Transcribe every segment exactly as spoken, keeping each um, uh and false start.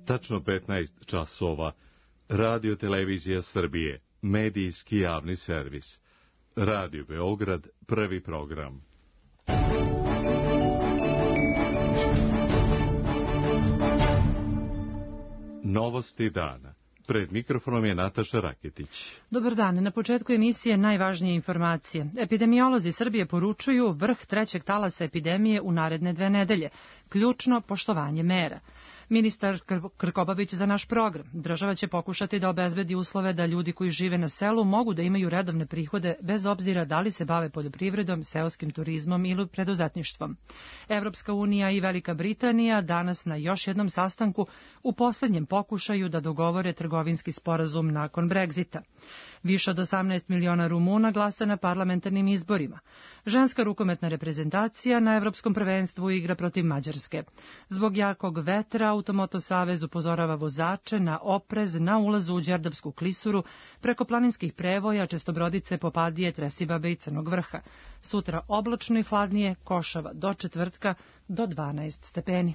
Tačno petnaest časova. Radio Televizija Srbije, medijski javni servis. Radio Beograd, prvi program. Novosti dana. Pred mikrofonom je Nataša Raketić. Dobar dan. Na početku emisije najvažnije informacije. Epidemiolozi Srbije poručuju vrh trećeg talasa epidemije u naredne dve nedelje. Ključno poštovanje mera. Ministar Krkobabić za naš program. Država će pokušati da obezbedi uslove da ljudi koji žive na selu mogu da imaju redovne prihode bez obzira da li se bave poljoprivredom, seoskim turizmom ili preduzetništvom. Evropska unija i Velika Britanija danas na još jednom sastanku u poslednjem pokušaju da dogovore trgovinski sporazum nakon Brexita. Više od osamnaest miliona Rumuna glasa na parlamentarnim izborima. Ženska rukometna reprezentacija na Evropskom prvenstvu igra protiv Mađarske. Zbog jakog vetra Automoto Savez upozorava vozače na oprez na ulazu u Đerdapsku klisuru preko planinskih prevoja, Čestobrodice, Popadije, Tresibabe i Crnog Vrha. Sutra oblačno i hladnije, košava do četvrtka do dvanaest stepeni.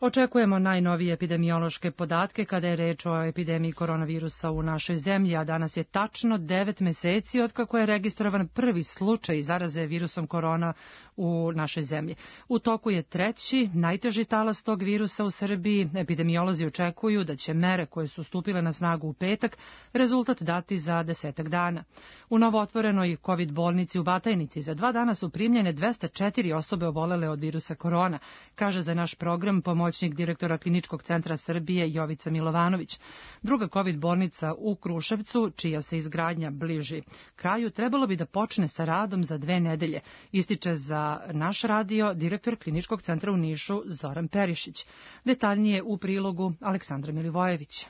Očekujemo najnovije epidemiološke podatke kada je reč o epidemiji koronavirusa u našoj zemlji, a danas je tačno devet meseci od kako je registrovan prvi slučaj zaraze virusom korona u našoj zemlji. U toku je treći, najteži talas tog virusa u Srbiji. Epidemiolozi očekuju da će mere koje su stupile na snagu u petak rezultat dati za desetak dana. U novootvorenoj COVID bolnici u Batajnici za dva dana su primljene dvesta četiri osobe obolele od virusa korona, kaže za naš program pomoćnik direktora Kliničkog centra Srbije Jovica Milovanović. Druga COVID bolnica u Kruševcu, čija se izgradnja bliži kraju, trebalo bi da počne sa radom za dve nedelje, ističe za naš radio direktor Kliničkog centra u Nišu Zoran Perišić. Detaljnije u prilogu Aleksandra Milivojević.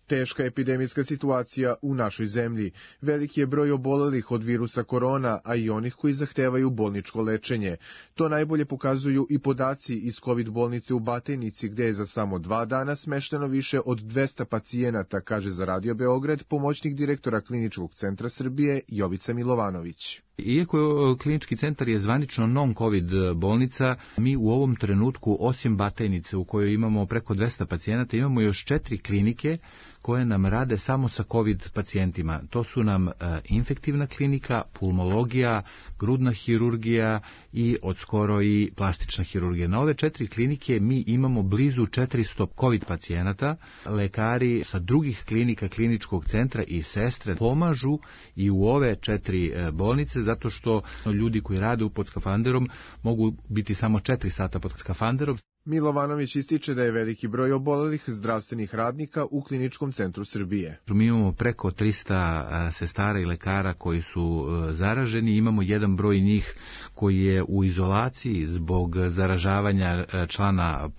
Teška epidemijska situacija u našoj zemlji. Veliki je broj obolelih od virusa korona, a i onih koji zahtevaju bolničko lečenje. To najbolje pokazuju i podaci iz COVID bolnice u Batajnici, gde je za samo dva dana smešteno više od dvesta pacijenata, kaže za Radio Beograd pomoćnik direktora Kliničkog centra Srbije Jovica Milovanović. Iako klinički centar je zvanično non-COVID bolnica, mi u ovom trenutku, osim Batajnice u kojoj imamo preko dvesta pacijenata, imamo još četiri klinike koje nam rade samo sa COVID pacijentima. To su nam infektivna klinika, pulmologija, grudna hirurgija i odskoro i plastična hirurgija. Na ove četiri klinike mi imamo blizu četiristo COVID pacijenata. Lekari sa drugih klinika kliničkog centra i sestre pomažu i u ove četiri bolnice, zato što ljudi koji rade pod skafanderom mogu biti samo četiri sata pod skafanderom. Milovanović ističe da je veliki broj obolelih zdravstvenih radnika u Kliničkom centru Srbije. Mi imamo preko trista sestara i lekara koji su zaraženi, imamo jedan broj njih koji je u izolaciji zbog zaražavanja člana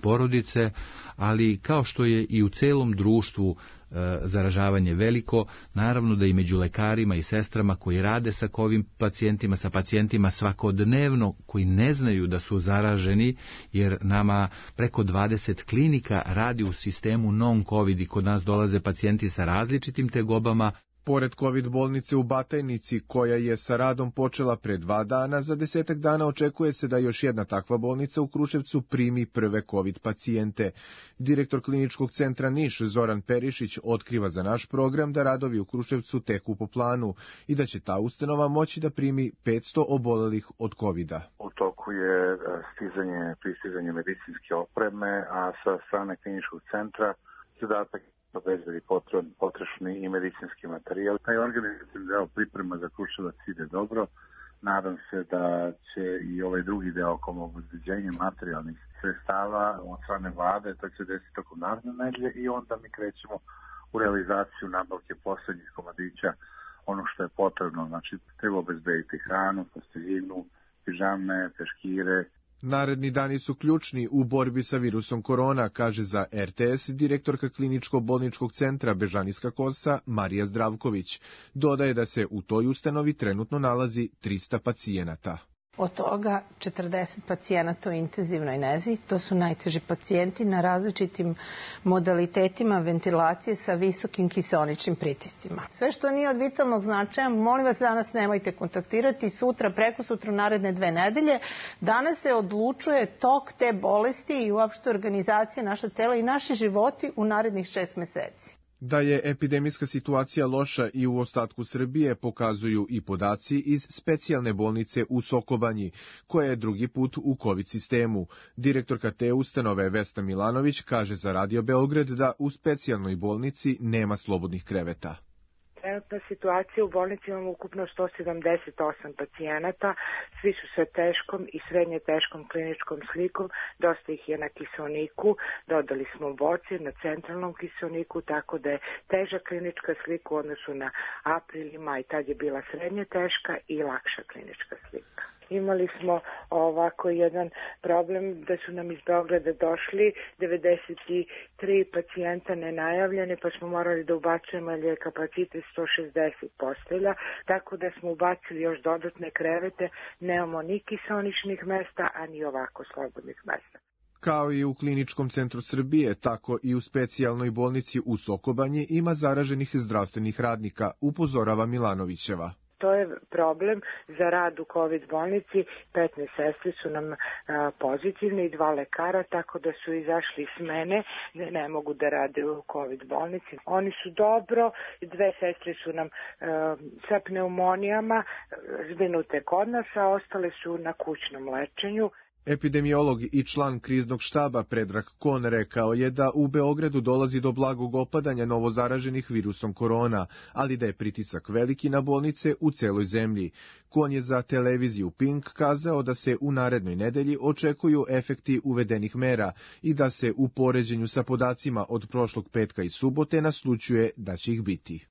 porodice, ali kao što je i u celom društvu e, zaražavanje veliko, naravno da i među lekarima i sestrama koji rade sa COVID pacijentima, sa pacijentima svakodnevno koji ne znaju da su zaraženi, jer nama preko dvadeset klinika radi u sistemu non-COVID i kod nas dolaze pacijenti sa različitim tegobama. Pored COVID bolnice u Batajnici, koja je sa radom počela pre dva dana, za desetak dana očekuje se da još jedna takva bolnica u Kruševcu primi prve COVID pacijente. Direktor Kliničkog centra Niš Zoran Perišić otkriva za naš program da radovi u Kruševcu teku po planu i da će ta ustanova moći da primi petsto obolelih od kovida. U toku je stizanje, pristizanje medicinske opreme, a sa strane Kliničkog centra zadatak obezbedi potrošni i medicinski materijal. Taj organizacijski deo priprema za Kruševac ide dobro. Nadam se da će i ovaj drugi deo oko obezbeđenja materijalnih sredstava od strane vlade, to će desiti tokom naredne nedelje i onda mi krećemo u realizaciju nabavke poslednjih komadića, ono što je potrebno. Znači, treba obezbediti hranu, posteljinu, pižame, peškire. Naredni dani su ključni u borbi sa virusom korona, kaže za R T S direktorka Kliničko-bolničkog centra Bežanijska Kosa Marija Zdravković. Dodaje da se u toj ustanovi trenutno nalazi trista pacijenata. Od toga četrdeset pacijenata u intenzivnoj nezi, to su najteži pacijenti na različitim modalitetima ventilacije sa visokim kiseoničnim pritiscima. Sve što nije od vitalnog značaja, molim vas danas nemojte kontaktirati, sutra, preko sutra, naredne dve nedelje. Danas se odlučuje tok te bolesti i uopšte organizacija naša cela i naši životi u narednih šest meseci. Da je epidemijska situacija loša i u ostatku Srbije pokazuju i podaci iz specijalne bolnice u Sokobanji, koja je drugi put u COVID sistemu. Direktorka te ustanove Vesna Milanović kaže za Radio Beograd da u specijalnoj bolnici nema slobodnih kreveta. Trenutna situacija u bolnici imamo ukupno sto sedamdeset osam pacijenata, svi su sa teškom i srednje teškom kliničkom slikom, dosta ih je na kiseoniku, dodali smo boce na centralnom kiseoniku, tako da je teža klinička slika u odnosu na april i maj, tad je bila srednje teška i lakša klinička slika. Imali smo ovako jedan problem da su nam iz Beograda došli devedeset tri pacijenta nenajavljene, pa smo morali da ubacujemo jer je kapacitet sto šezdeset postelja, tako da smo ubacili još dodatne krevete, nemamo ni kiseoničnih mesta, a ni ovako slobodnih mesta. Kao i u Kliničkom centru Srbije, tako i u specijalnoj bolnici u Sokobanji ima zaraženih zdravstvenih radnika, upozorava Milanovićeva. To je problem za rad u COVID bolnici, petnaest sestri su nam a, pozitivne i dva lekara, tako da su izašli s mene, da ne mogu da rade u COVID bolnici. Oni su dobro, dve sestre su nam a, sa pneumonijama zbrinute kod nas, a ostale su na kućnom lečenju. Epidemiolog i član kriznog štaba Predrag Kon rekao je da u Beogradu dolazi do blagog opadanja novozaraženih virusom korona, ali da je pritisak veliki na bolnice u celoj zemlji. Kon je za televiziju Pink kazao da se u narednoj nedelji očekuju efekti uvedenih mera i da se u poređenju sa podacima od prošlog petka i subote naslućuje da će ih biti.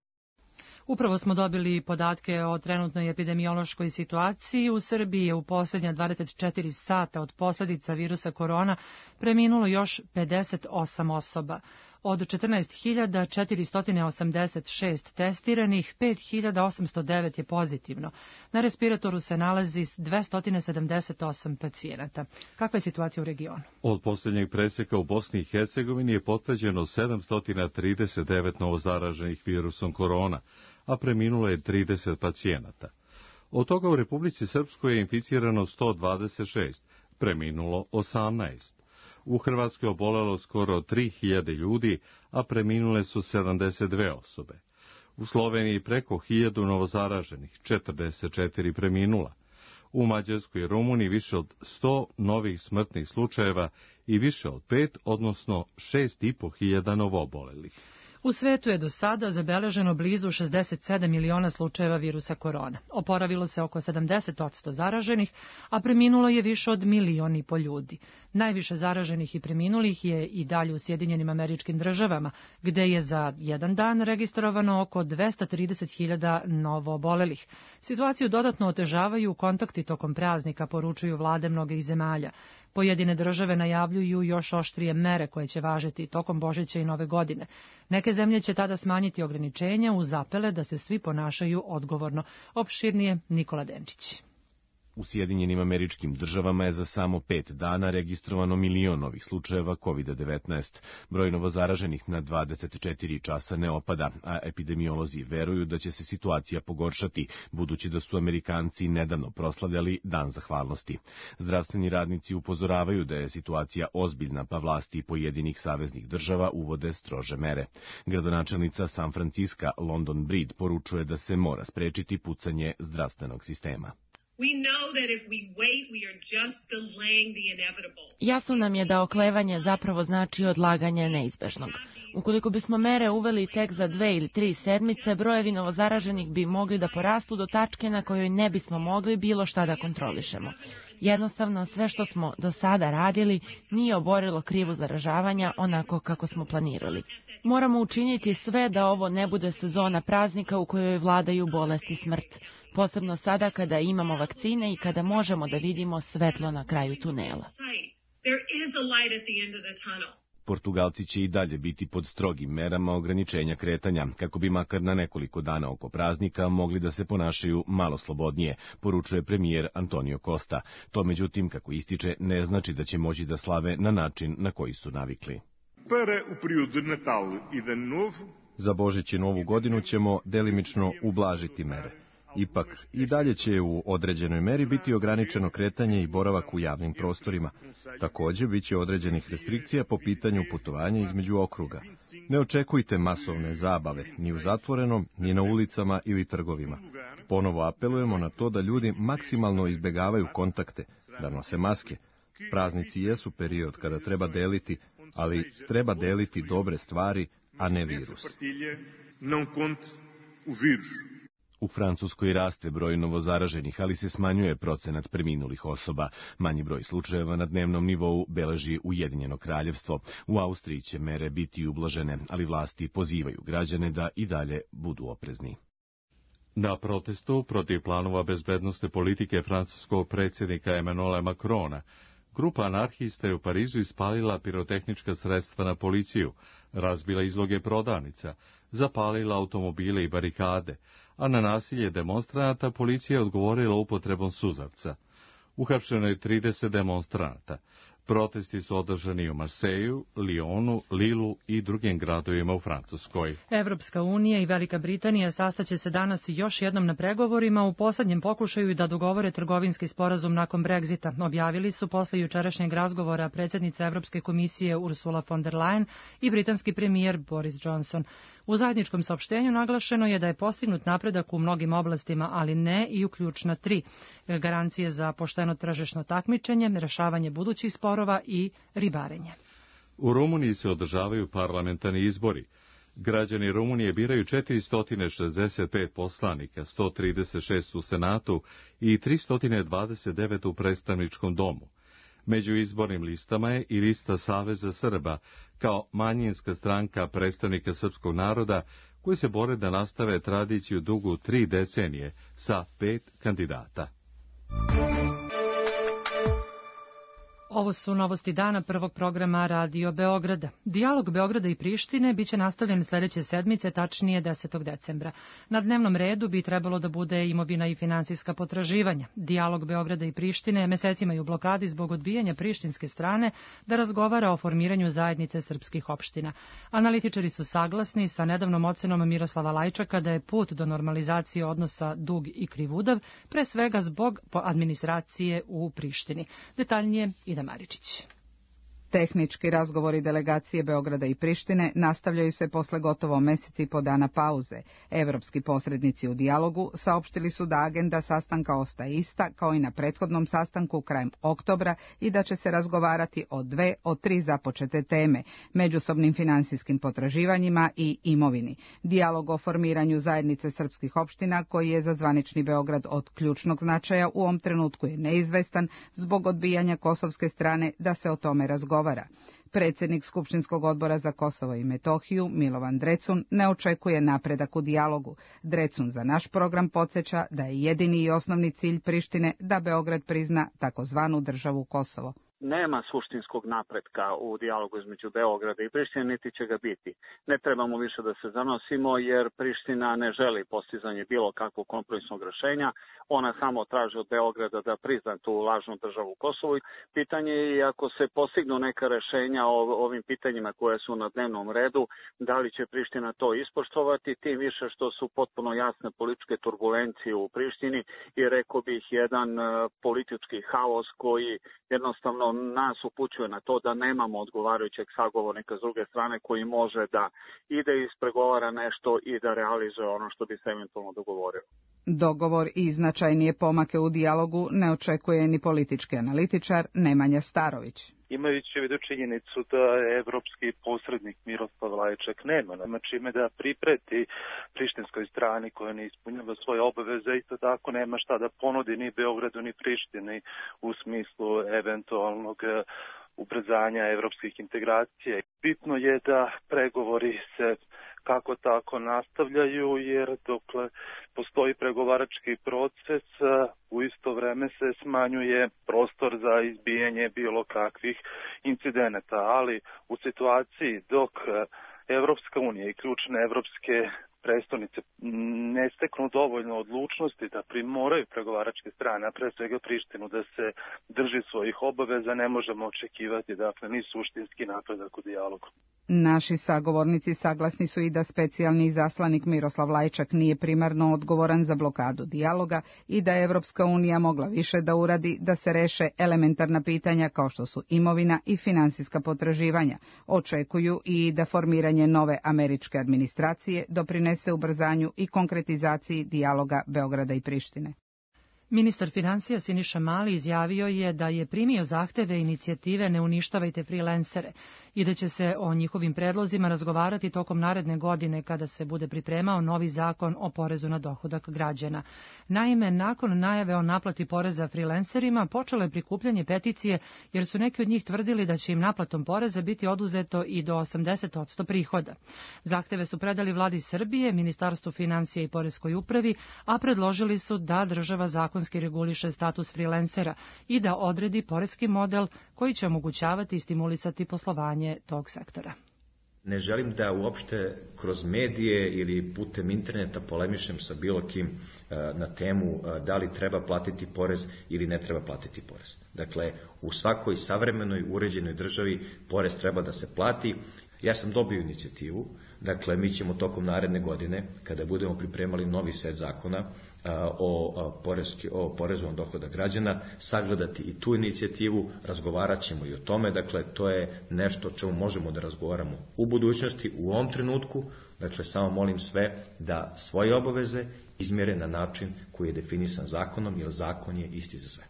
Upravo smo dobili podatke o trenutnoj epidemiološkoj situaciji. U Srbiji je u posljednja dvadeset četiri sata od posljedica virusa korona preminulo još pedeset osam osoba. Od četrnaest hiljada četiristo osamdeset šest testiranih, pet hiljada osamsto devet je pozitivno. Na respiratoru se nalazi dvesta sedamdeset osam pacijenata. Kakva je situacija u regionu? Od posljednjeg preseka u Bosni i Hercegovini je potvrđeno sedamsto trideset devet novozaraženih virusom korona, a preminulo je trideset pacijenata. Od toga u Republici Srpskoj je inficirano sto dvadeset šest, preminulo osamnaest. U Hrvatskoj je obolelo skoro tri hiljade ljudi, a preminule su sedamdeset dve osobe. U Sloveniji preko hiljadu novozaraženih, četrdeset četiri preminula. U Mađarskoj i Rumuniji više od sto novih smrtnih slučajeva i više od pet, odnosno šest i po hiljada novoobolelih. U svetu je do sada zabeleženo blizu šezdeset sedam miliona slučajeva virusa korona. Oporavilo se oko sedamdeset posto zaraženih, a preminulo je više od milion i po ljudi. Najviše zaraženih i preminulih je i dalje u Sjedinjenim Američkim Državama, gde je za jedan dan registrovano oko dvesta trideset hiljada novoobolelih. Situaciju dodatno otežavaju kontakti tokom praznika, poručuju vlade mnogih zemalja. Pojedine države najavljuju još oštrije mere koje će važiti tokom Božića i Nove godine. Neke zemlje će tada smanjiti ograničenja uz apele da se svi ponašaju odgovorno. Opširnije Nikola Denčić. U Sjedinjenim Američkim Državama je za samo pet dana registrovano milion novih slučajeva kovid devetnaest. Broj novozaraženih na dvadeset četiri časa ne opada, a epidemiolozi veruju da će se situacija pogoršati, budući da su Amerikanci nedavno proslavljali Dan zahvalnosti. Zdravstveni radnici upozoravaju da je situacija ozbiljna, pa vlasti pojedinih saveznih država uvode strože mere. Gradonačelnica San Franciska London Breed poručuje da se mora sprečiti pucanje zdravstvenog sistema. Jasno nam je da oklevanje zapravo znači odlaganje neizbežnog. Ukoliko bismo mere uveli tek za dve ili tri sedmice, brojevi novozaraženih bi mogli da porastu do tačke na kojoj ne bismo mogli bilo šta da kontrolišemo. Jednostavno, sve što smo do sada radili nije oborilo krivu zaražavanja onako kako smo planirali. Moramo učiniti sve da ovo ne bude sezona praznika u kojoj vladaju bolest i smrt. Posebno sada kada imamo vakcine i kada možemo da vidimo svetlo na kraju tunela. Portugalci će i dalje biti pod strogim merama ograničenja kretanja, kako bi makar na nekoliko dana oko praznika mogli da se ponašaju malo slobodnije, poručuje premijer Antonio Costa. To, međutim, kako ističe, ne znači da će moći da slave na način na koji su navikli. Za Božić i Novu godinu ćemo delimično ublažiti mere. Ipak, i dalje će u određenoj meri biti ograničeno kretanje i boravak u javnim prostorima. Također, bit će određenih restrikcija po pitanju putovanja između okruga. Ne očekujte masovne zabave, ni u zatvorenom, ni na ulicama ili trgovima. Ponovo apelujemo na to da ljudi maksimalno izbegavaju kontakte, da nose maske. Praznici jesu period kada treba deliti, ali treba deliti dobre stvari, a ne virus. U Francuskoj raste broj novozaraženih, ali se smanjuje procenat preminulih osoba. Manji broj slučajeva na dnevnom nivou beleži Ujedinjeno kraljevstvo. U Austriji će mere biti ublažene, ali vlasti pozivaju građane da i dalje budu oprezni. Na protestu protiv planova bezbednosne politike francuskog predsjednika Emmanuela Macrona, grupa anarhista je u Parizu ispalila pirotehnička sredstva na policiju, razbila izloge prodavnica, zapalila automobile i barikade, a na nasilje demonstranata policija je odgovorila upotrebom suzavca. Uhapšeno je trideset demonstranata. Protesti su održani u Marseju, Lyonu, Lilu i drugim gradovima u Francuskoj. Evropska unija i Velika Britanija sastaće se danas još jednom na pregovorima u poslednjem pokušaju da dogovore trgovinski sporazum nakon Brexita. Objavili su posle jučerašnjeg razgovora predsjednica Evropske komisije Ursula von der Leyen i britanski premijer Boris Johnson. U zajedničkom saopštenju naglašeno je da je postignut napredak u mnogim oblastima, ali ne i u ključna tri. Garancije za pošteno tržišno takmičenje, rešavanje budućih sporova i ribarenje. U Rumuniji se održavaju parlamentarni izbori. Građani Rumunije biraju četiristo šezdeset pet poslanika, sto trideset šest u Senatu i tristo dvadeset devet u predstavničkom domu. Među izbornim listama je i lista Saveza Srba, kao manjinska stranka predstavnika srpskog naroda, koji se bore da nastave tradiciju dugu tri decenije sa pet kandidata. Ovo su novosti dana prvog programa Radio Beograda. Dijalog Beograda i Prištine biće nastavljen sljedeće sedmice, tačnije desetog decembra. Na dnevnom redu bi trebalo da bude imovina i finansijska potraživanja. Dijalog Beograda i Prištine mesecima je u blokadi zbog odbijanja prištinske strane da razgovara o formiranju zajednice srpskih opština. Analitičari su saglasni sa nedavnom ocenom Miroslava Lajčaka da je put do normalizacije odnosa dug i krivudav, pre svega zbog administracije u Prištini. Detaljnije i Maričić. Tehnički razgovori delegacije Beograda i Prištine nastavljaju se posle gotovo meseci i po dana pauze. Evropski posrednici u dijalogu saopštili su da agenda sastanka ostaje ista kao i na prethodnom sastanku krajem oktobra i da će se razgovarati o dve od tri započete teme, međusobnim finansijskim potraživanjima i imovini. Dijalog o formiranju zajednice srpskih opština, koji je za zvanični Beograd od ključnog značaja, u ovom trenutku je neizvestan zbog odbijanja kosovske strane da se o tome razgovara. Predsjednik Skupštinskog odbora za Kosovo i Metohiju, Milovan Drecun, ne očekuje napredak u dijalogu. Drecun za naš program podsjeća da je jedini i osnovni cilj Prištine da Beograd prizna takozvanu državu Kosovo. Nema suštinskog napretka u dijalogu između Beograda i Prištine, niti će ga biti. Ne trebamo više da se zanosimo, jer Priština ne želi postizanje bilo kakvog kompromisnog rešenja. Ona samo traži od Beograda da prizna tu lažnu državu Kosovo. Pitanje je, ako se postignu neka rešenja o ovim pitanjima koje su na dnevnom redu, da li će Priština to ispoštovati, tim više što su potpuno jasne političke turbulencije u Prištini i rekao bih jedan politički haos koji jednostavno nas upućuje na to da nemamo odgovarajućeg sagovornika s druge strane koji može da ide ispregovara nešto i da realizuje ono što bi se eventualno dogovorio. Dogovor i značajnije pomake u dijalogu ne očekuje ni politički analitičar Nemanja Starović. Imajući u vidu činjenicu da evropski posrednik Miroslav Lajčak nema, nema čime da pripreti prištinskoj strani koja ne ispunjava svoje obaveze, isto tako nema šta da ponudi ni Beogradu ni Prištini u smislu eventualnog ubrzanja evropskih integracija. Bitno je da pregovori se kako tako nastavljaju, jer dokle postoji pregovarački proces, u isto vreme se smanjuje prostor za izbijanje bilo kakvih incidenata, ali u situaciji dok Evropska unija i ključne evropske prestonice ne steknu dovoljno odlučnosti da primoraju pregovaračke strane, a pre svega Prištinu, da se drži svojih obaveza, ne možemo očekivati, dakle, ni suštinski napredak u dijalogu. Naši sagovornici saglasni su i da specijalni izaslanik Miroslav Lajčak nije primarno odgovoran za blokadu dijaloga i da je Evropska unija mogla više da uradi da se reše elementarna pitanja kao što su imovina i finansijska potraživanja. Očekuju i da formiranje nove američke administracije doprinese ubrzanju i konkretizaciji dijaloga Beograda i Prištine. Ministar financija Siniša Mali izjavio je da je primio zahteve inicijative Ne uništavajte freelancere i da će se o njihovim predlozima razgovarati tokom naredne godine kada se bude pripremao novi zakon o porezu na dohodak građana. Naime, nakon najave o naplati poreza freelancerima počelo je prikupljanje peticije jer su neki od njih tvrdili da će im naplatom poreza biti oduzeto i do osamdeset posto prihoda. Zahteve su predali vladi Srbije, Ministarstvu financija i Poreskoj upravi, a predložili su da država zakonski reguliše status freelancera i da odredi poreski model koji će omogućavati i stimulisati poslovanje tog sektora. Ne želim da uopšte kroz medije ili putem interneta polemišem sa bilo kim na temu da li treba platiti porez ili ne treba platiti porez. Dakle, u svakoj savremenoj uređenoj državi porez treba da se plati. Ja sam dobio inicijativu, dakle mi ćemo tokom naredne godine, kada budemo pripremali novi set zakona o, poreski, o porezu na dohodak građana, sagledati i tu inicijativu, razgovarat ćemo i o tome, dakle to je nešto o čemu možemo da razgovaramo u budućnosti, u ovom trenutku, dakle samo molim sve da svoje obaveze izmjere na način koji je definisan zakonom, jer zakon je isti za sve.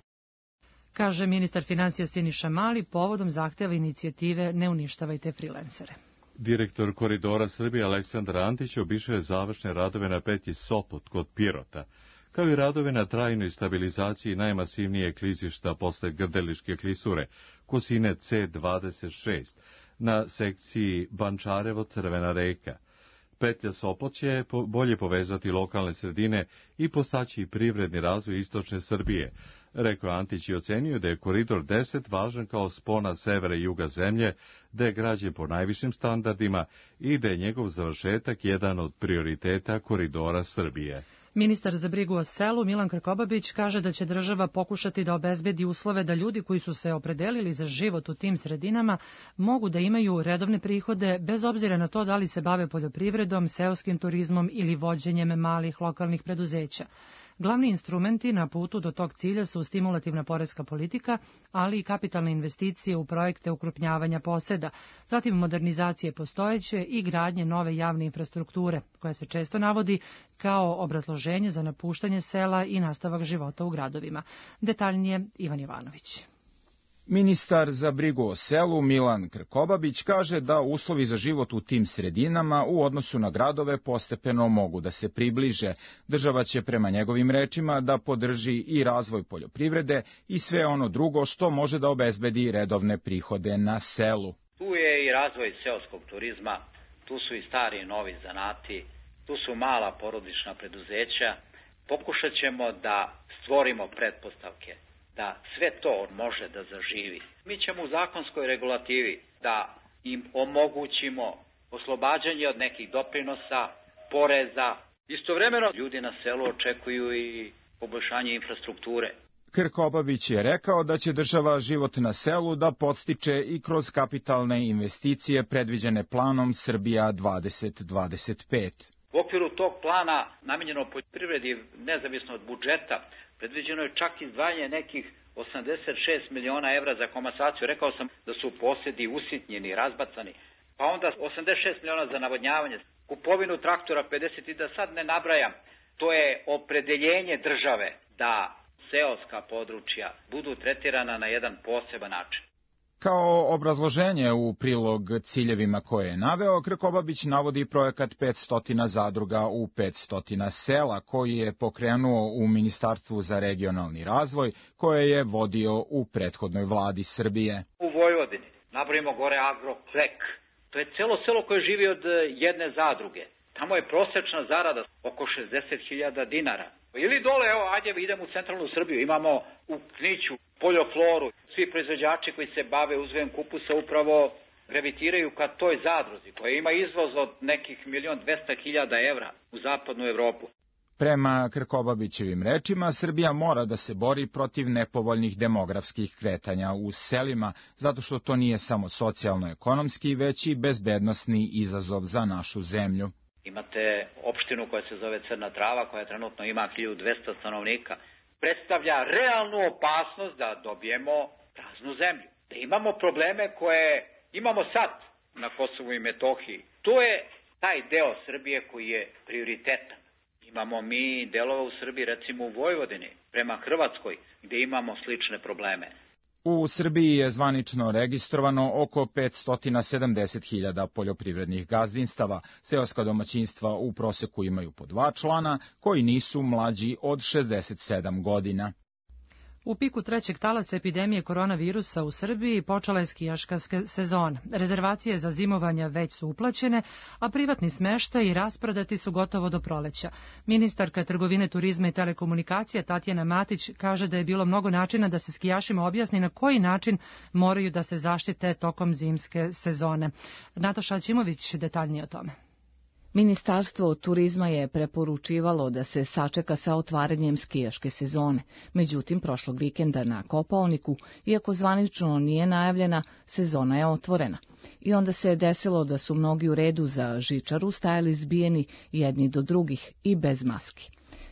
Kaže ministar financija Siniša Mali povodom zahteva inicijative Ne uništavajte freelancere. Direktor Koridora Srbije Aleksandar Antić obišao je završne radove na petlji Sopot kod Pirota, kao i radove na trajnoj stabilizaciji najmasivnije klizišta posle Grdeličke klisure, kosine C dvadeset šest, na sekciji Bančarevo-Crvena reka. Petlja Sopot će bolje povezati lokalne sredine i postaći privredni razvoj istočne Srbije. Rekao Antić i ocenio da je Koridor deset važan kao spona severa i juga zemlje, da je građen po najvišim standardima i da je njegov završetak jedan od prioriteta Koridora Srbije. Ministar za brigu o selu Milan Krkobabić kaže da će država pokušati da obezbedi uslove da ljudi koji su se opredelili za život u tim sredinama mogu da imaju redovne prihode bez obzira na to da li se bave poljoprivredom, seoskim turizmom ili vođenjem malih lokalnih preduzeća. Glavni instrumenti na putu do tog cilja su stimulativna poreska politika, ali i kapitalne investicije u projekte ukrupnjavanja poseda, zatim modernizacije postojeće i gradnje nove javne infrastrukture, koja se često navodi kao obrazloženje za napuštanje sela i nastavak života u gradovima. Detaljnije Ivan Jovanović. Ministar za brigu o selu Milan Krkobabić kaže da uslovi za život u tim sredinama u odnosu na gradove postepeno mogu da se približe. Država će prema njegovim rečima da podrži i razvoj poljoprivrede i sve ono drugo što može da obezbedi redovne prihode na selu. Tu je i razvoj seoskog turizma, tu su i stari i novi zanati, tu su mala porodična preduzeća. Pokušat ćemo da stvorimo pretpostavke da sve to može da zaživi. Mi ćemo u zakonskoj regulativi da im omogućimo oslobađanje od nekih doprinosa, poreza. Istovremeno ljudi na selu očekuju i poboljšanje infrastrukture. Krkobabić je rekao da će država život na selu da podstiče i kroz kapitalne investicije predviđene planom Srbija dvadeset dvadeset pet. U okviru tog plana namenjeno poljoprivredi nezavisno od budžeta predviđeno je čak izdvajanje nekih osamdeset šest miliona evra za komasaciju. Rekao sam da su posedi usitnjeni, razbacani. Pa onda osamdeset šest miliona za navodnjavanje, kupovinu traktora pedeset i da sad ne nabrajam. To je opredeljenje države da seoska područja budu tretirana na jedan poseban način. Kao obrazloženje u prilog ciljevima koje je naveo, Krkobabić navodi projekat petsto zadruga u petsto sela, koji je pokrenuo u Ministarstvu za regionalni razvoj, koje je vodio u prethodnoj vladi Srbije. U Vojvodini napravimo gore Agroklek, To je celo selo koje živi od jedne zadruge. Tamo je prosečna zarada oko šezdeset hiljada dinara. Ili dole, evo, ajde idemo u centralnu Srbiju, imamo u Kniću poljofloru. Svi proizvođači koji se bave uzgojem kupusa upravo gravitiraju ka toj zadruzi, koja ima izvoz od nekih milion dvesta hiljada evra u zapadnu Evropu. Prema Krkobabićevim rečima, Srbija mora da se bori protiv nepovoljnih demografskih kretanja u selima, zato što to nije samo socijalno-ekonomski, već i bezbednosni izazov za našu zemlju. Imate opštinu koja se zove Crna Trava, koja trenutno ima hiljadu dvesta stanovnika. Predstavlja realnu opasnost da dobijemo praznu zemlju. Da imamo probleme koje imamo sad na Kosovu i Metohiji. To je taj deo Srbije koji je prioritetan. Imamo mi delova u Srbiji, recimo u Vojvodini, prema Hrvatskoj, gde imamo slične probleme. U Srbiji je zvanično registrovano oko petsto sedamdeset hiljada poljoprivrednih gazdinstava. Seoska domaćinstva u proseku imaju po dva člana, koji nisu mlađi od šezdeset sedam godina. U piku trećeg talasa epidemije koronavirusa u Srbiji počela je skijaška sezona. Rezervacije za zimovanja već su uplaćene, a privatni smeštaj i rasprodati su gotovo do proleća. Ministarka trgovine, turizma i telekomunikacija Tatjana Matić kaže da je bilo mnogo načina da se skijašima objasni na koji način moraju da se zaštite tokom zimske sezone. Nataša Aćimović detaljnije o tome. Ministarstvo turizma je preporučivalo da se sačeka sa otvaranjem skijaške sezone. Međutim, prošlog vikenda na Kopaoniku, iako zvanično nije najavljena, sezona je otvorena. I onda se je desilo da su mnogi u redu za žičaru stajali zbijeni jedni do drugih i bez maski.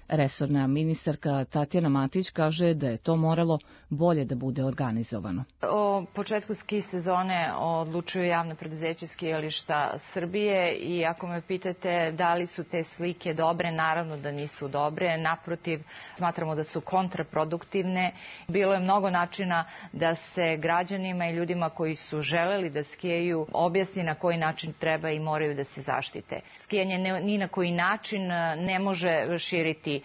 Resorna ministarka Tatjana Matić kaže da je to moralo bolje da bude organizovano. O početku ski sezone odlučuju javno preduzeće Skijališta Srbije i ako me pitate da li su te slike dobre, naravno da nisu dobre. Naprotiv, smatramo da su kontraproduktivne. Bilo je mnogo načina da se građanima i ljudima koji su želeli da skijaju objasni na koji način treba i moraju da se zaštite. Skijanje ni na koji način ne može širiti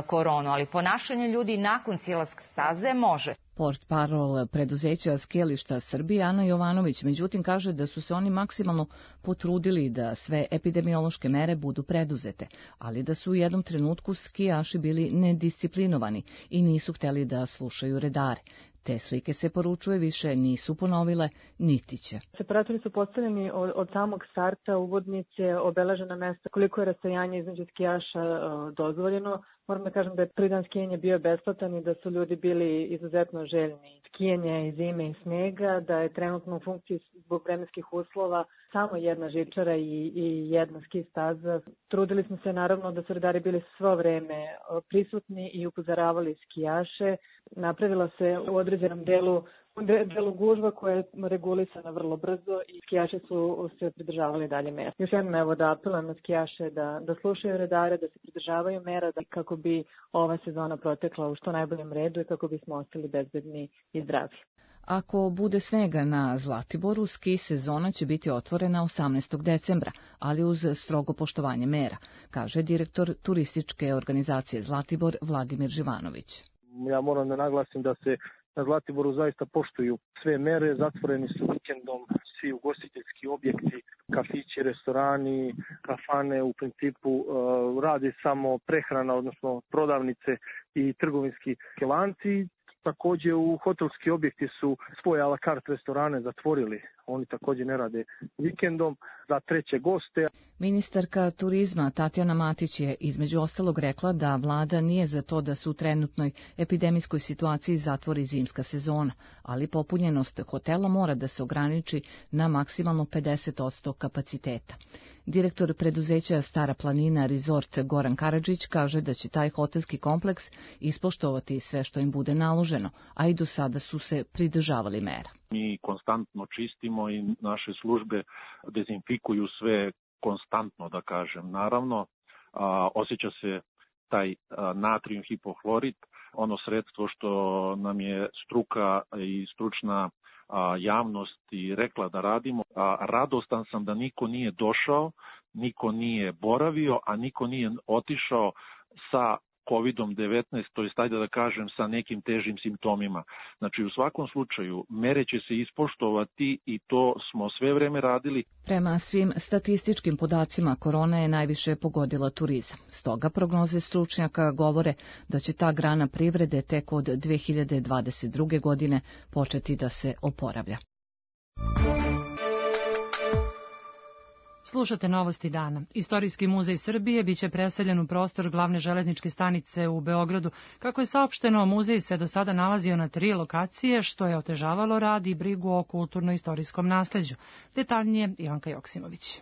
koronu, ali ponašanje ljudi nakon silaska staze može. Portparol preduzeća Skijališta Srbije Ana Jovanović međutim kaže da su se oni maksimalno potrudili da sve epidemiološke mere budu preduzete, ali da su u jednom trenutku skijaši bili nedisciplinovani i nisu hteli da slušaju redare. Te slike se poručuje više nisu ponovile, niti će. Separatori su postavljeni od, od samog starta, uvodnice, obeležena mesta, koliko je rastojanje između skijaša uh, dozvoljeno. Moram da kažem da je prvi dan skijanja bio besplatan i da su ljudi bili izuzetno željni skijanja i zime i snega, da je trenutno u funkciji zbog vremenskih uslova samo jedna žičara i, i jedna ski staza. Trudili smo se naravno da su redari bili svo vreme prisutni i upozoravali skijaše. Napravila se u određenom delu U delu gužva koja je regulisana vrlo brzo i skijaši su se pridržavali dalje mera. Još jednom evo da apelujem na skijaše da, da slušaju redare, da se pridržavaju mera da, kako bi ova sezona protekla u što najboljem redu i kako bismo ostali bezbedni i zdravi. Ako bude snega na Zlatiboru, ski sezona će biti otvorena osamnaestog decembra, ali uz strogo poštovanje mera, kaže direktor turističke organizacije Zlatibor Vladimir Živanović. Ja moram da naglasim da se na Zlatiboru zaista poštuju sve mere, zatvoreni su vikendom svi ugostiteljski objekti, kafići, restorani, kafane, u principu uh, radi samo prehrana, odnosno prodavnice i trgovinski lanci. Također u hotelski objekti su svoje a la carte restorane zatvorili, oni također ne rade vikendom za treće goste. Ministarka turizma Tatjana Matić je između ostalog rekla da vlada nije za to da se u trenutnoj epidemijskoj situaciji zatvori zimska sezona, ali popunjenost hotela mora da se ograniči na maksimalno pedeset posto kapaciteta. Direktor preduzeća Stara planina Resort Goran Karadžić kaže da će taj hotelski kompleks ispoštovati sve što im bude naloženo, a i do sada su se pridržavali mera. Mi konstantno čistimo i naše službe dezinfikuju sve konstantno, da kažem. Naravno, a, osjeća se taj a, natrijum hipohlorid, ono sredstvo što nam je struka i stručna a, javnost i rekla da radimo. A, radostan sam da niko nije došao, niko nije boravio, a niko nije otišao sa kovidom devetnaest, to je ajde da kažem sa nekim težim simptomima. Znači u svakom slučaju mere će se ispoštovati i to smo sve vreme radili. Prema svim statističkim podacima, korona je najviše pogodila turizam. Stoga prognoze stručnjaka govore da će ta grana privrede tek od dve hiljade dvadeset druge. godine početi da se oporavlja. Slušate novosti dana. Istorijski muzej Srbije biće preseljen u prostor glavne železničke stanice u Beogradu. Kako je saopšteno, muzej se do sada nalazio na tri lokacije, što je otežavalo rad i brigu o kulturno-istorijskom nasleđu. Detaljnije Ivanka Joksimović.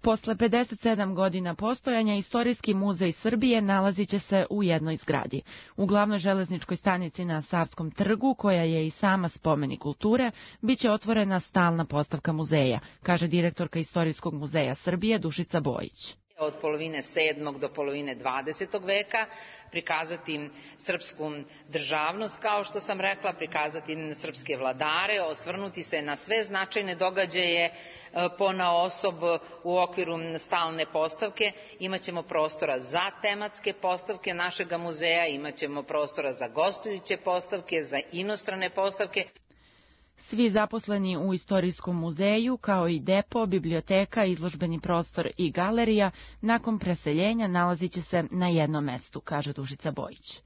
Posle pedeset sedam godina postojanja, Istorijski muzej Srbije nalazit će se u jednoj zgradi. U glavnoj železničkoj stanici na Savskom trgu, koja je i sama spomenik kulture, biće otvorena stalna postavka muzeja, kaže direktorka Istorijskog muzeja Srbije Dušica Bojić. Od polovine sedmog do polovine dvadesetog veka, prikazati srpsku državnost, kao što sam rekla, prikazati srpske vladare, osvrnuti se na sve značajne događaje ponaosob u okviru stalne postavke. Imaćemo prostora za tematske postavke našega muzeja, imaćemo prostora za gostujuće postavke, za inostrane postavke. Svi zaposleni u Istorijskom muzeju, kao i depo, biblioteka, izložbeni prostor i galerija, nakon preseljenja nalazit će se na jednom mestu, kaže Dušica Bojić.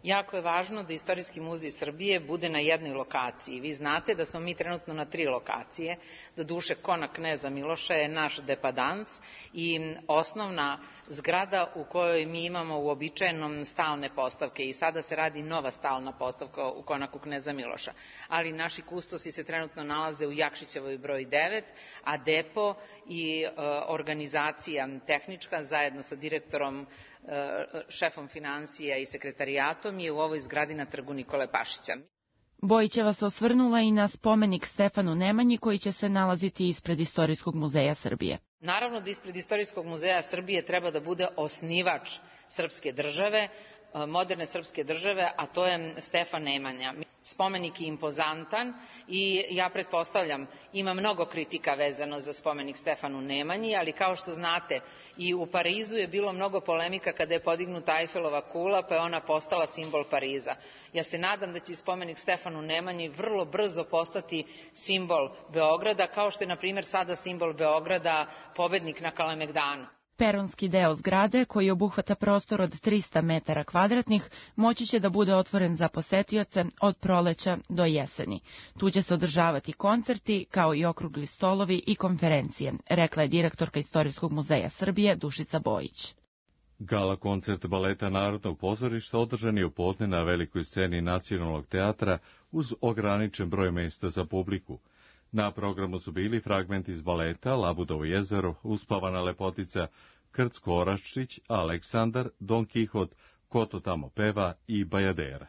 Jako je važno da Istorijski muzej Srbije bude na jednoj lokaciji. Vi znate da smo mi trenutno na tri lokacije. Doduše, Kona kneza Miloša je naš depadans i osnovna zgrada u kojoj mi imamo uobičajenom stalne postavke i sada se radi nova stalna postavka u Konaku kneza Miloša. Ali naši kustosi se trenutno nalaze u Jakšićevoj broj devet, a depo i e, organizacija tehnička zajedno sa direktorom, šefom financija i sekretarijatom je u ovoj zgradi na trgu Nikole Pašića. Bojićeva se osvrnula i na spomenik Stefanu Nemanji koji će se nalaziti ispred Istorijskog muzeja Srbije. Naravno da ispred Istorijskog muzeja Srbije treba da bude osnivač srpske države, moderne srpske države, a to je Stefan Nemanja. Spomenik je impozantan i ja pretpostavljam, ima mnogo kritika vezano za spomenik Stefanu Nemanji, ali kao što znate, i u Parizu je bilo mnogo polemika kada je podignuta Eifelova kula, pa je ona postala simbol Pariza. Ja se nadam da će spomenik Stefanu Nemanji vrlo brzo postati simbol Beograda, kao što je, na primjer, sada simbol Beograda pobednik na Kalemegdanu. Peronski deo zgrade, koji obuhvata prostor od trista metara kvadratnih, moći će da bude otvoren za posetioce od proleća do jeseni. Tu će se održavati koncerti, kao i okrugli stolovi i konferencije, rekla je direktorka Istorijskog muzeja Srbije Dušica Bojić. Gala koncert baleta Narodnog pozorišta održan je u podne na velikoj sceni Nacionalnog teatra uz ograničen broj mesta za publiku. Na programu su bili fragmenti iz baleta Labudovo jezero, Uspavana lepotica, Krcko Oraščić, Aleksandar, Don Kihot, Ko to tamo peva i Bajadera.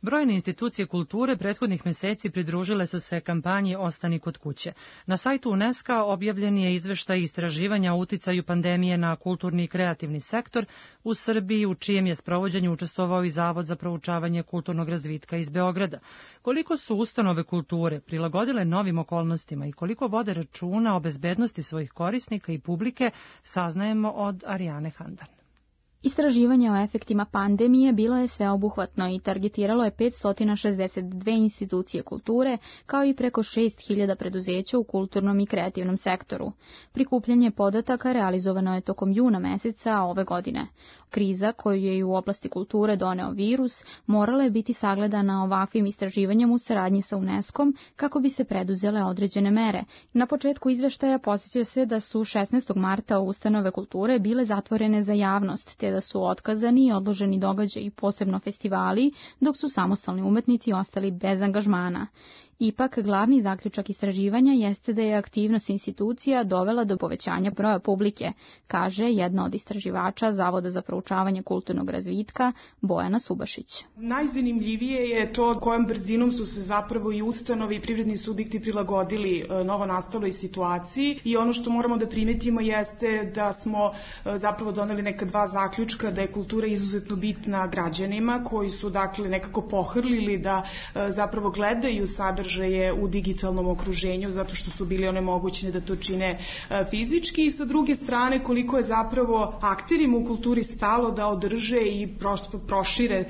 Brojne institucije kulture prethodnih meseci pridružile su se kampanji Ostani kod kuće. Na sajtu UNESCO objavljen je izveštaj istraživanja o uticaju pandemije na kulturni i kreativni sektor u Srbiji, u čijem je sprovođenju učestvovao i Zavod za proučavanje kulturnog razvitka iz Beograda. Koliko su ustanove kulture prilagodile novim okolnostima i koliko vode računa o bezbednosti svojih korisnika i publike, saznajemo od Arijane Handan. Istraživanje o efektima pandemije bilo je sveobuhvatno i targetiralo je petsto šezdeset dve institucije kulture, kao i preko šest hiljada preduzeća u kulturnom i kreativnom sektoru. Prikupljanje podataka realizovano je tokom juna meseca ove godine. Kriza koju je i u oblasti kulture doneo virus morala je biti sagledana ovakvim istraživanjem u saradnji sa UNESCO-om kako bi se preduzele određene mere. Na početku izveštaja podsjeća se da su šesnaestog marta ustanove kulture bile zatvorene za javnost, te da su otkazani i odloženi događaji, posebno festivali, dok su samostalni umetnici ostali bez angažmana. Ipak, glavni zaključak istraživanja jeste da je aktivnost institucija dovela do povećanja broja publike, kaže jedna od istraživača Zavoda za proučavanje kulturnog razvitka, Bojana Subašić. Najzanimljivije je to kojom brzinom su se zapravo i ustanove i privredni subjekti prilagodili novo nastaloj situaciji i ono što moramo da primetimo jeste da smo zapravo doneli neka dva zaključka, da je kultura izuzetno bitna građanima koji su dakle nekako pohrlili da zapravo gledaju sadržaj sadržaje u digitalnom okruženju zato što su bili onemogućeni da to čine fizički i sa druge strane koliko je zapravo akterima u kulturi stalo da održe i prosto prošire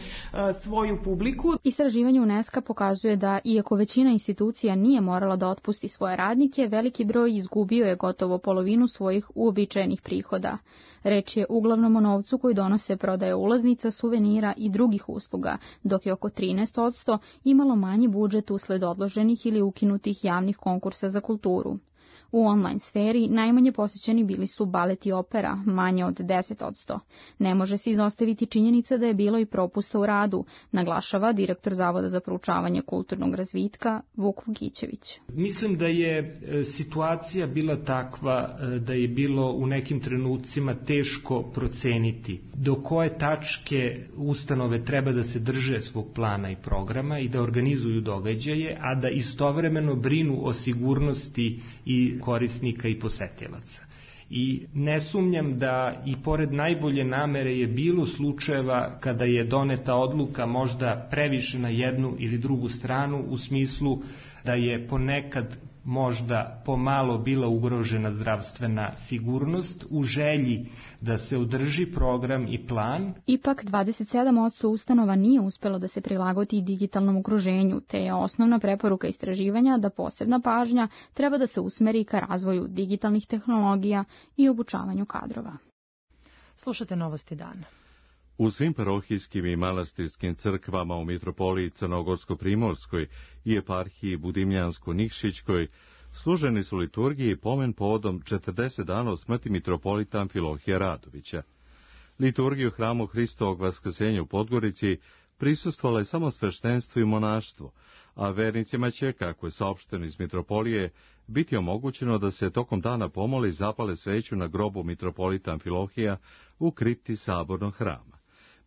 svoju publiku. Istraživanje UNESCO pokazuje da, iako većina institucija nije morala da otpusti svoje radnike, veliki broj izgubio je gotovo polovinu svojih uobičajenih prihoda. Reč je uglavnom o novcu koji donose prodaje ulaznica, suvenira i drugih usluga, dok je oko trinaest posto imalo manji budžet usled odloženih ili ukinutih javnih konkursa za kulturu. U online sferi najmanje posjećeni bili su balet i opera, manje od deset posto. Ne može se izostaviti činjenica da je bilo i propusta u radu, naglašava direktor Zavoda za proučavanje kulturnog razvitka Vuk Vukićević. Mislim da je situacija bila takva da je bilo u nekim trenucima teško proceniti do koje tačke ustanove treba da se drže svog plana i programa i da organizuju događaje, a da istovremeno brinu o sigurnosti i korisnika i posetilaca. I ne sumnjam da i pored najbolje namere je bilo slučajeva kada je doneta odluka možda previše na jednu ili drugu stranu u smislu da je ponekad možda pomalo bila ugrožena zdravstvena sigurnost u želji da se održi program i plan. Ipak dvadeset sedam posto ustanova nije uspelo da se prilagodi digitalnom okruženju, te je osnovna preporuka istraživanja da posebna pažnja treba da se usmeri ka razvoju digitalnih tehnologija i obučavanju kadrova. Slušate Novosti dana. U svim parohijskim i manastirskim crkvama u mitropoliji Crnogorsko-Primorskoj i eparhiji Budimljansko-Nikšićkoj služeni su liturgiji i pomen povodom četrdeset dana od smrti mitropolita Amfilohija Radovića. Liturgiju hramu Hristovog vaskrsenja u Podgorici prisustvovalo je samo sveštenstvo i monaštvo, a vernicima će, kako je saopšteno iz mitropolije, biti omogućeno da se tokom dana pomole i zapale sveću na grobu mitropolita Amfilohija u kripti sabornog hrama.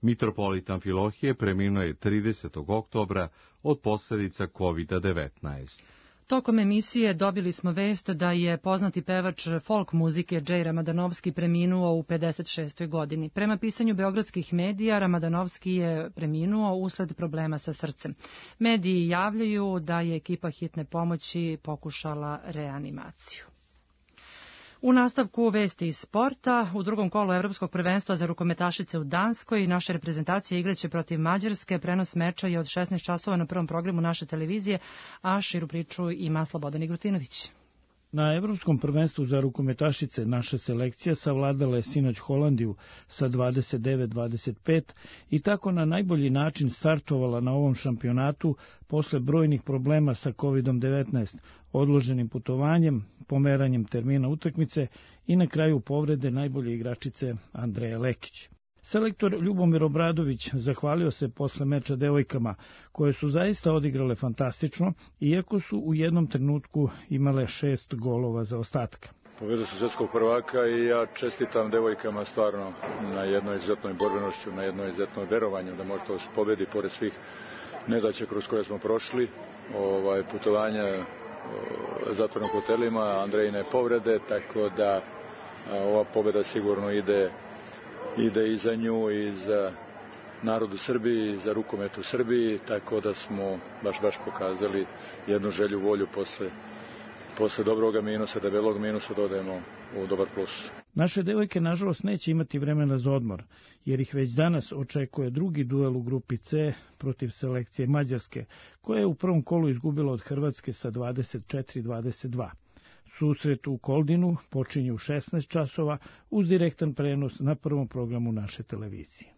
Mitropolit Amfilohije preminuo je tridesetog oktobra od posljedica kovid devetnaest. Tokom emisije dobili smo vest da je poznati pevač folk muzike Džej Ramadanovski preminuo u pedeset šestoj godini. Prema pisanju beogradskih medija, Ramadanovski je preminuo usled problema sa srcem. Mediji javljaju da je ekipa hitne pomoći pokušala reanimaciju. U nastavku vesti iz sporta, u drugom kolu Evropskog prvenstva za rukometašice u Danskoj, naša reprezentacija igraće protiv Mađarske. Prenos meča je od šesnaest časova na prvom programu naše televizije, a širu priču ima Slobodan Igrutinović. Na Evropskom prvenstvu za rukometašice naša selekcija savladala je sinoć Holandiju sa dvadeset devet dvadeset pet i tako na najbolji način startovala na ovom šampionatu posle brojnih problema sa kovid devetnaest, odloženim putovanjem, pomeranjem termina utakmice i na kraju povrede najbolje igračice Andreje Lekić. Selektor Ljubomir Obradović zahvalio se posle meča devojkama, koje su zaista odigrale fantastično, iako su u jednom trenutku imale šest golova za ostatka. Pobjedu su svetskog prvaka i ja čestitam devojkama stvarno na jednoj izuzetnoj borbenošću, na jednoj izuzetnoj verovanju da može to pobedi pored svih nedaća kroz koje smo prošli, ovaj, putovanja zatvorenog hotelima, Andrejine povrede, tako da ova pobjeda sigurno ide ide i za nju i za narod u Srbiji, i za rukomet u Srbiji, tako da smo baš baš pokazali jednu želju, volju posle, posle dobroga minusa, debelog minusa dodajemo u dobar plus. Naše devojke nažalost neće imati vremena za odmor, jer ih već danas očekuje drugi duel u grupi C protiv selekcije Mađarske, koja je u prvom kolu izgubila od Hrvatske sa dvadeset četiri dvadeset dva. Susret u Koldinu počinje u šesnaest časova uz direktan prenos na prvom programu naše televizije.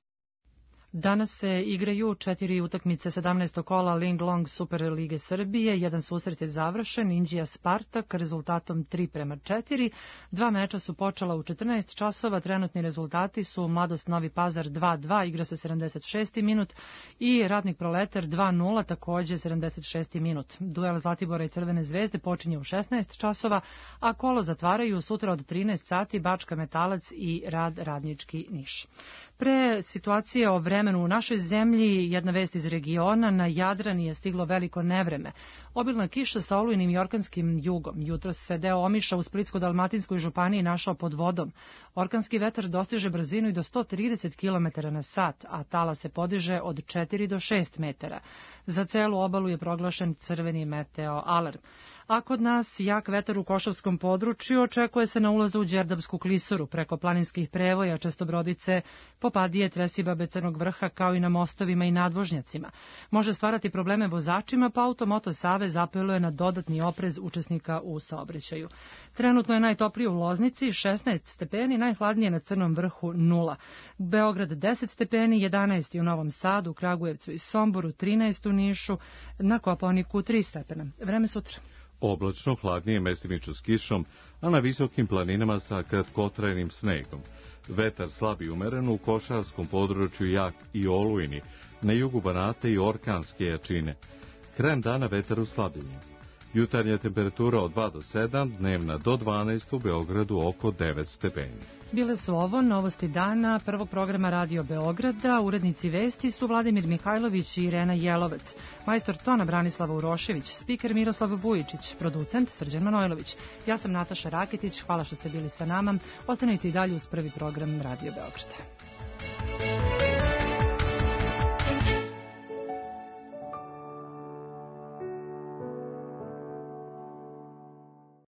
Danas se igraju četiri utakmice sedamnaestog kola Ling Long Super Lige Srbije. Jedan susret je završen, Inđija Spartak, rezultatom tri prema četiri. Dva meča su počela u četrnaest časova, trenutni rezultati su Mladost Novi Pazar dva dva, igra se sedamdeset šesti minut, i Radnik Proletar dva nula, takođe sedamdeset šesti minut. Duel Zlatibora i Crvene zvezde počinje u šesnaest časova, a kolo zatvaraju sutra od trinaest sati Bačka Metalac i Rad Radnički Niš. Pre situacije o vremenu vremenu u našoj zemlji, jedna vest iz regiona, na Jadran je stiglo veliko nevreme. Obilna kiša sa olujnim i orkanskim jugom. Jutros se deo Omiša u Splitsko-Dalmatinskoj županiji našao pod vodom. Orkanski vetar dostiže brzinu i do sto trideset kilometara na sat, a tala se podiže od četiri do šest metara. Za celu obalu je proglašen crveni meteo alarm. A kod nas jak vetar u Košavskom području očekuje se na ulazu u Đerdapsku klisuru preko planinskih prevoja, Čestobrodice, Popadije, Tresibabe, Crnog vrha, kao i na mostovima i nadvožnjacima. Može stvarati probleme vozačima, pa Automoto Savez apeluje na dodatni oprez učesnika u saobraćaju. Trenutno je najtoplije u Loznici, šesnaest stepeni, najhladnije na Crnom vrhu nula. Beograd deset stepeni, jedanaest u Novom Sadu, Kragujevcu i Somboru, trinaest u Nišu, na Kopaoniku tri stepena. Vreme sutra. Oblačno, hladnije, mestimično s kišom, a na visokim planinama sa kratkotrajnim snegom. Vetar slab i umeren, u košarskom području jak i olujni, na jugu Banata i orkanske jačine. Krajem dana vetar u slabljenju. Jutarnja temperatura od dva do sedam, dnevna do dvanaest, u Beogradu oko devet stepeni. Bile su ovo novosti dana prvog programa Radio Beograda. Urednici vesti su Vladimir Mihajlović i Irena Jelovac. Majstor tona Branislava Urošević, spiker Miroslav Vujičić, producent Srđan Manojlović. Ja sam Nataša Raketić, hvala što ste bili sa nama. Ostanite i dalje uz prvi program Radio Beograda.